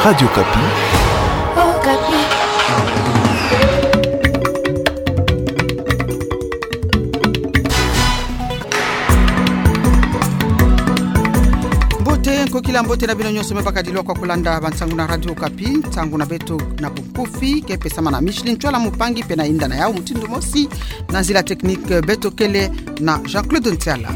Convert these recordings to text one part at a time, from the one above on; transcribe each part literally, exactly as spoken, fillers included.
Radio Okapi. Okapi. Mbote, nkokila mbote na bino nyonso me bakadilwa kwa kulanda bansangu na Radio Okapi. Nsangu na beto na bunkufi ke pesama na Micheline Ntsoila Mpangi mpe na yinda na yau mutindu mosi na nzila technique, beto kele na Jean-Claude Ntiala.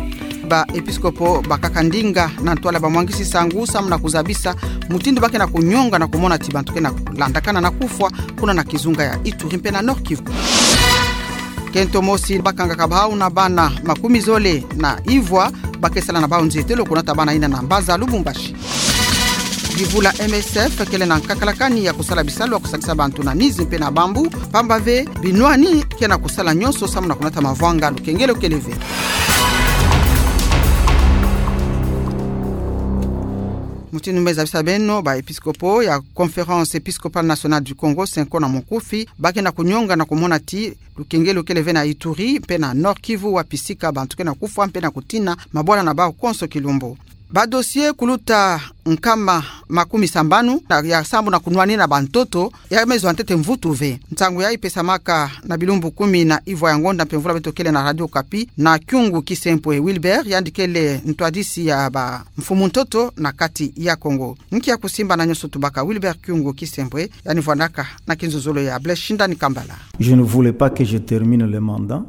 Ba episkopo bakaka ndinga na ntwala bamwangisi nsangu samu na kuzabisa mutindu ba ke na kunyonga na kumona ti bantu ke na kulandakana na kufwa kuna na kizunga ya Ituri mpe na Nord-Kivu. Kento mosi bakangaka bau na bana makumi zole na ivwa ba ke sala na bau nzietelo kunata bana yina na mbanza Lubumbashi. Bivula M S F kele na nkakalakani ya kusala bisalu ya kusadisa bantu na nizi mpe na bambu, pamba ve binwani ke na kusala nyonso samu na kunata mavwanga lukengelo kele ve. Mutindu me zabisa beno, ba episkopo ya Conférence Épiscopale Nationale du Congo, Cenco na munkufi, ba ke na kunyonga na kumona ti lukengelo kele ve na Ituri mpe na Nord-Kivu, wapi sika bantu ke na kufwa mpe na kutina mabwala na bau konso kilumbu. Ba dossier kuluta nkama makumi sambanu na ya sambu na kunwanina bantoto ya me zwa ntete mvutu ve. Nsangu yayi pesamaka na bilumbu kumi na ivwa ya ngonda mpe mvula beto kele na Radio Okapi na Kyungu Kisempwe Wilbert, yandi kele ntwadisi ya bamfumu ntoto na kati ya Kongo. Nki ya kusimba na nyonso tubaka Wilbert Kyungu Kisempwe, yandi vwandaka na kinzonzolo ya Blaise Shindani Kambala. Je ne voulais pas que je termine le mandat.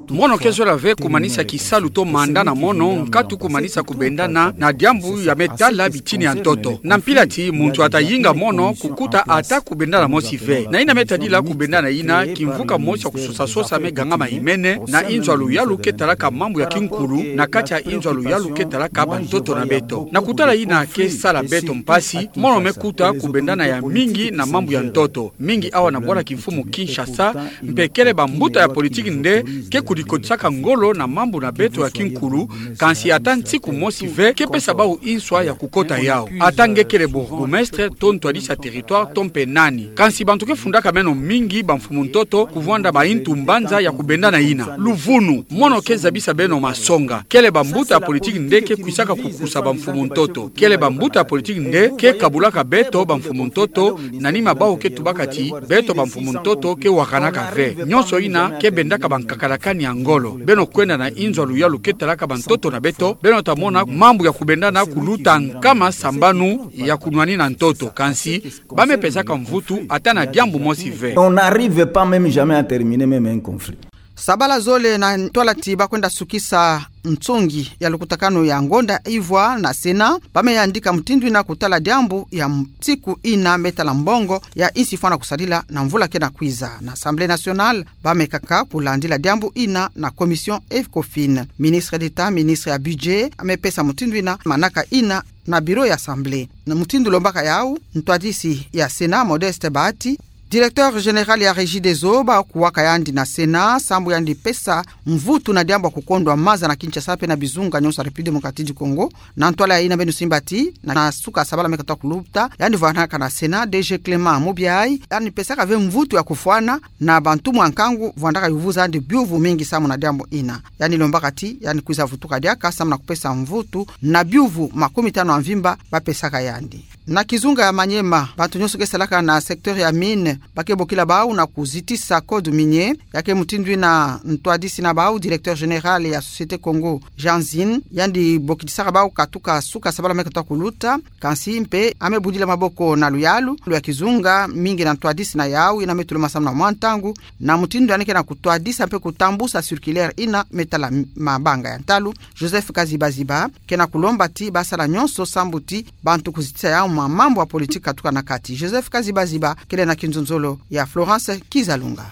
Mono ke zola ve kumanisa kisalu to manda na mono nkatu kumanisa kubendana na diambu ya me tala bitini ya ntoto. Na mpila ti muntu ata yinga mono kukuta ata kubendana mosi ve. Na yina me tadila kubendana yina kimvuka mosi ya kusosa-sosa me gangama imene na inzo ya luyalu ke talaka mambu ya kinkulu na kati ya inzo ya luyalu ke talaka bantoto na beto. Na kutala yina ke sala beto mpasi, mono me kuta kubendana ya mingi na mambu ya ntoto. Mingi awa na bwala kimfumu Kinshasa, mpe kele bambuta ya politiki nde ke kudikotisaka ngolo na mambu na beto ya kinkulu, kansi ata nsiku mosi ve ke pesa bau inswa ya kukota yau. Ata nge kele bourgmestre, to ntwadisi ya territoire, to mpe nani. Kansi bantu ke fundaka meno mingi bamfumu ntoto, kuvwanda baintu mbanza ya kubendana yina. Luvunu, mono ke zabisa beno masonga. Kele bambuta ya politiki nde ke kwisaka kukusa bamfumu ntoto. Kele bambuta ya politiki nde ke kabulaka beto bamfumu ntoto, na nima bau ke tubaka ti beto bamfumu ntoto ke wakanaka ve. Nyonso yina ke bendaka bankakalakani ya ngolo. Beno kwenda na inzo ya luyalu ke talaka bantoto na beto, beno ta mona mambu ya kubendana kuluta nkama sambanu ya kunwanina ntoto. Kansi ba me pesaka mvutu ata na diambu mosi ve. On n'arrive pas même jamais à terminer même un conflit. Sabala zole na ntwala ti ba kwenda sukisa nsongi ya lukutakanu ya ngonda ivwa na Sénat, ba me yandika mutindu yina kutala diambu ya nsiku yina me tala mbongo ya insi fwana kusadila na mvula ke na kwiza. Na Assemblée nationale, ba me kaka kulandila diambu yina na commission Ecofin. Ministre d'État, ministre ya budget, a me pesa mutindu yina manaka yina na bureau ya Assemblée. Na mutindu lombaka yau, ntwadisi ya Sénat, Modeste Bahati, directeur général ya Regideso, ba kuwaka yandi na Sénat sambu yandi pesa mvutu na diambu ya kukondwa maza na Kinshasa mpe na bizunga nyonso ya République démocratique du Congo. Na ntwala yina beno simba ti, na, na suka sabala me katuka kuluta, yandi vwanaka na Sénat, D G Clément Mubiayi, yandi pesaka ve mvutu ya kufwana na bantumwa nkangu vwandaka yuvuza yandi biuvu mingi samu na diambu yina. Yandi lombaka ti yandi kwiza vutuka diaka samu na kupesa mvutu na biuvu makumi tanu ya mvimba ba pesaka yandi. Na kizunga ya Maniema, bantu nyonso ke salaka na secteur ya mine ba ke bokila bau na kuzitisa code minier. Ya ke mutindu yina ntwadisi na bau, directeur général ya Société Congo, Jean Zin, yandi bokitisaka bau katuka suka sabala me katuka kuluta, kansi mpe a me budila maboko na luyalu lwa kizunga mingi na ntwadisi na yau yina me tuluma samu na mwa ntangu, na mutindu yandi ke na kutwadisa mpe kutambusa circulaire yina me tala mabanga ya ntalu. Joseph Kazibaziba ke na kulomba ti ba sala nyonso sambu ti bantu kuzitisa yau mwa mambu ya politique katuka na kati. Joseph Kazibaziba kele na kinzonzolo ya Florence Kizalunga.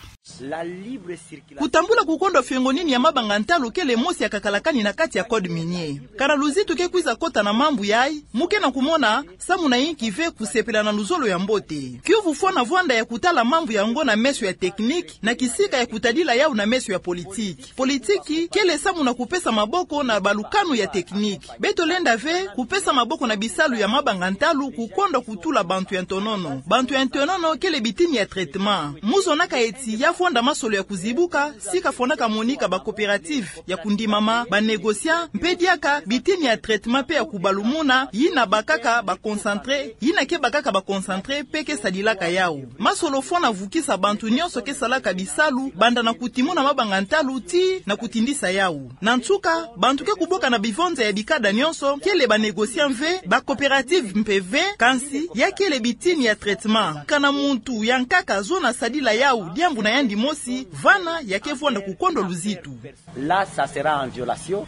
Kutambula kukondwa fiongonini ya mabanga ntalu kele mosi ya kakalakani na kati ya code minier. Kala luzitu ke kwiza kota na mambu yayi, mu ke na kumona samu na inki ve kusepela na luzolo ya mbote. Kiuvu fwana vwanda ya kutala mambu yango na meso ya technique, na kisika ya kutadila yau na meso ya politique. Politique kele samu na kupesa maboko na balukanu ya technique. Beto lenda ve kupesa maboko na bisalu ya mabanga ntalu kukondwa kutula bantu ya ntonono. Bantu ya ntonono kele bitini ya traitement. Mu zonaka eti ya Fonda masolo ya kuzibuka, sika fondaka monika ba coopératives ya kundimama, ba négociants, mpe diaka bitini ya traitement mpe ya kubalumuna, yina bakaka ba concentrés, yina ke bakaka ba concentrés mpe ke sadilaka yawu. Masolo fo na vukisa bantu nyonso ke salaka bisalu, banda na kutimuna mabanga ntalu tii na kutindisa yawu. Na nsuka, bantu ke kuboka na bivonza ya bikada nyonso, kele ba négociants ve, ba coopératives mpe ve, kansi, ya kele bitini ya traitement. Kana muntu ya nkaka zona sadila yawu, diambu na yandi mosi, vana, ya ke vonda kukondwa luzitu. Là, ça sera en violation.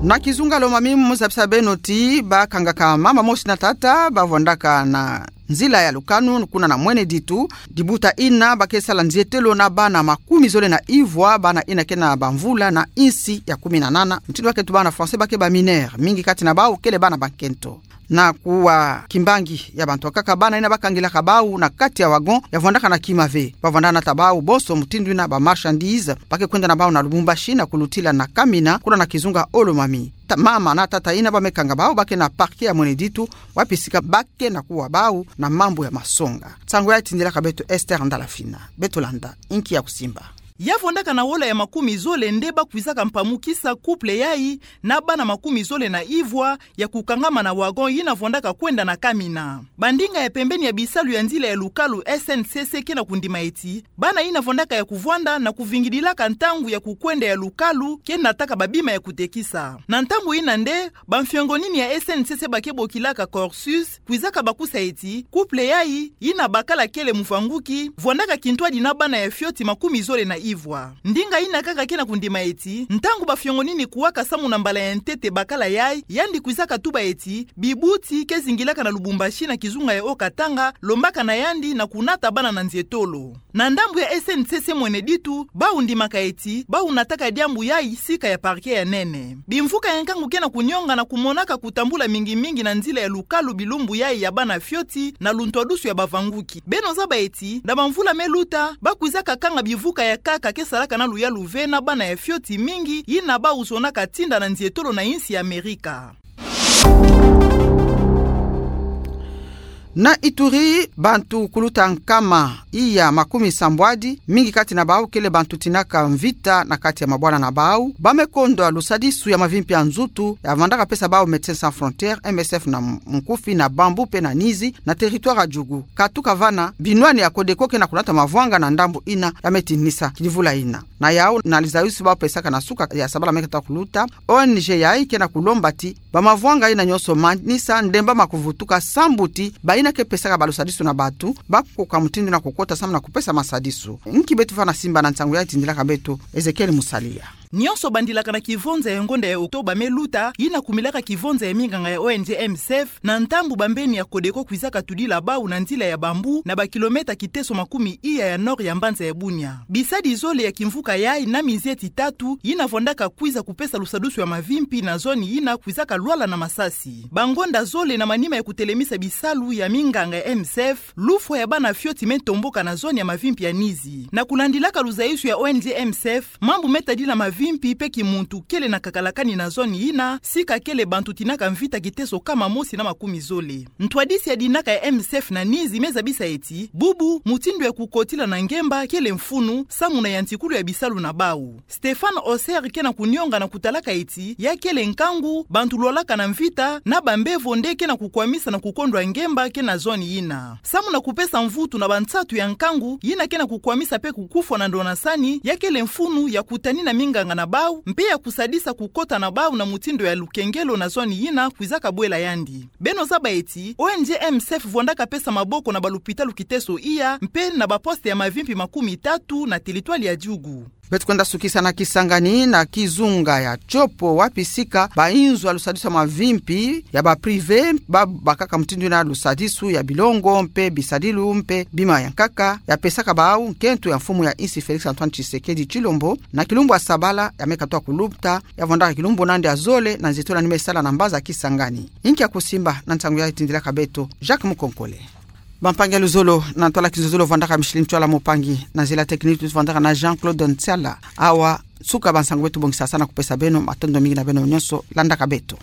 Na kizunga Lomami mu zabisa beno ti bakangaka mama mosi na tata, bavondaka na nzila ya lukanu, kuna na Mwene Ditu, dibuta ina ba ke sala nzietelo na bana makumi zole na ivwa, bana ina ke na bamvula na insi ya kumi na nana, mutindu ba ke tuba na français ba ke ba mineurs, mingi kati na bawu kele bana ba nkento. Na kuwa kimbangi ya bantu bakaka, bana ina bakangilaka bawu na kati ya wagon, ya vwandaka na kima ve. Ba vwanda nata bawu bonso mutindu ina ba marchandises, ba ke kwenda na bawu na Lubumbashi na kulutila na Kamina, kuna na kizunga Lomami. Ta-, mama na tata ina ba me kanga bawu ba ke na parquet ya Mwene Ditu, wapi sika ba ke na kuwa bawu na mambu ya masonga. Nsangu yayi tindilaka beto Esther Ndalafina. Beto landa, inki ya kusimba. Ya vwandaka na wola ya makumi zole nde ba kwizaka mpamukisa couple yayi na bana makumi zole na ivwa ya kukangama na wagon yina vwandaka kwenda na Kamina. Bandinga ya pembeni ya bisalu ya nzila ya lukalu S N C C ke na kundima eti, bana yina vwandaka ya kuvwanda na kuvingidilaka ntangu ya kukwenda ya lukalu ke nataka babima ya kutekisa. Na ntangu yina nde, bamfiongonini ya S N C C ba ke bokilaka Corsus, kwizaka bakusa eti, couple yayi, yina bakala kele muvanguki, vwandaka kintwadi na bana ya fioti makumi zole na ivwa. Ndinga yina kaka ke na kundima eti, ntangu bafiongonini kuwaka samu na mbala ya ntete bakala yayi, yandi kwizaka tuba eti, bibuti ke zingilaka na Lubumbashi na kizunga ya Haut-Katanga, lombaka na yandi na kunata bana na nzietolo. Na ndambu ya S N C C Mwene Ditu, bawu ndimaka eti, bawu nataka diambu yayi sika ya parquet ya nene. Bimvuka ya nkangu ke na kunionga na kumonaka kutambula mingi mingi na nzila ya lukalu bilumbu yayi ya bana fioti na luntwadusu ya bavanguki. Beno zaba eti, na bamvula me luta, ba kwizaka kanga bivuka ya nkaka ke salaka na luyalu ve na bana ya fioti mingi, yina bawu zonaka tinda na nzietolo na insi ya Amerika. Na Ituri, bantu kuluta nkama iya makumi sambwadi, mingi kati na bawu kele bantu tinaka mvita na kati ya mabwana na bawu, ba me kondwa lusadisu ya mavimpi ya nzutu, ya vwandaka pesa bawu Médecins Sans Frontières, M S F na Munkufi, na Bambou mpe na Nizi, na territoire ya Djugu. Katuka vana, binwani ya Codeco ke na kunata mavwanga na ndambu yina, ya me tinisa kidivula yina. Na yawu, na lizayusi ba pesaka na suka ya sabala me kata kuluta, O N G yayi ke na kulomba ti, ba mavwanga yina nyonso manisa, ndemba ma kuvutuka, sambu ti, bayina ke pesaka balusadisu na bantu, ba koka mutindu na kukota samu na kupesa masadisu. Nki beto fana simba na nsangu yayi tindilaka beto, Ezekiel Musalia. Nyonso bandilaka na kivonza ya ngonda ya Octobre me luta, yina kumilaka kivonza ya minganga ya O N G M S F, na ntangu bambeni ya Codeco kwizaka tudila bawu na nzila ya Bambou, na ba kilomètre kiteso makumi iya ya nord ya mbanza ya Bunia. Bisadi zole ya kimvuka yayi na mizieti tatu, yina vwandaka kwiza kupesa lusadusu ya mavimpi na zone yina kwizaka lwala na masasi. Bangonda zole na manima ya kutelemisa bisalu ya minganga ya M S F, lufwa ya bana fioti me tomboka na zone ya mavimpi ya Nizi. Na kulandilaka luzayusu ya O N G M S F, mambu me tadila mavimpi mpe kimuntu kele na kakalakani na zone yina, sika kele bantu tinaka mvita kiteso kama mosi na makumi zole. Ntwadisi ya dinaka ya M S F na Nizi me zabisa eti, bubu, mutindu ya kukotila na ngemba kele mfunu, samu na yantikulu ya bisalu na bawu. Stéphane Osser ke na kunionga na kutalaka eti, ya kele nkangu, bantu lwalaka na mvita, na bambevo nde ke na kukwamisa na kukondwa ngemba ke na zone yina. Samu na kupesa mvutu na bansatu ya nkangu, yina ke na kukwamisa mpe kukufwa na ndonasani, ya kele mfunu ya kutanina minganga na bawu, mpe ya kusadisa kukota na bawu na mutindu ya lukengelo na zone yina kwizaka bwela yandi. Beno zaba eti, O N G M S F vwandaka pesa maboko na balupitalu kiteso iya, mpe na baposte ya mavimpi makumi tatu na teritware ya Djugu. Beto kwenda sukisa na Kisangani na kizunga ya Tshopo wapi sika bainzo ya lusadisu ya mavimpi ya ba privé ba bakaka mutindu yina lusadisu ya bilongo mpe bisadilu mpe bima ya nkaka ya pesaka bawu nkento ya mfumu ya insi Félix Antoine Tshisekedi Tshilombo na kilumbu ya sabala ya me katuka kuluta ya vwandaka kilumbu nandi ya zole na nzietolo yandi me sala na mbanza Kisangani. Inki ya kusimba na nsangu yayi tindilaka beto Jacques Mukonkole. Bampangi ya luzolo, na ntwala kizololo vwandaka Micheline Tshoala, mpangi na nzila technique vwandaka na Jean-Claude Ntsala. Awa, suka bansangu beto bongisa sa na kupesa beno, matondo mingi na beno nyonso landaka beto.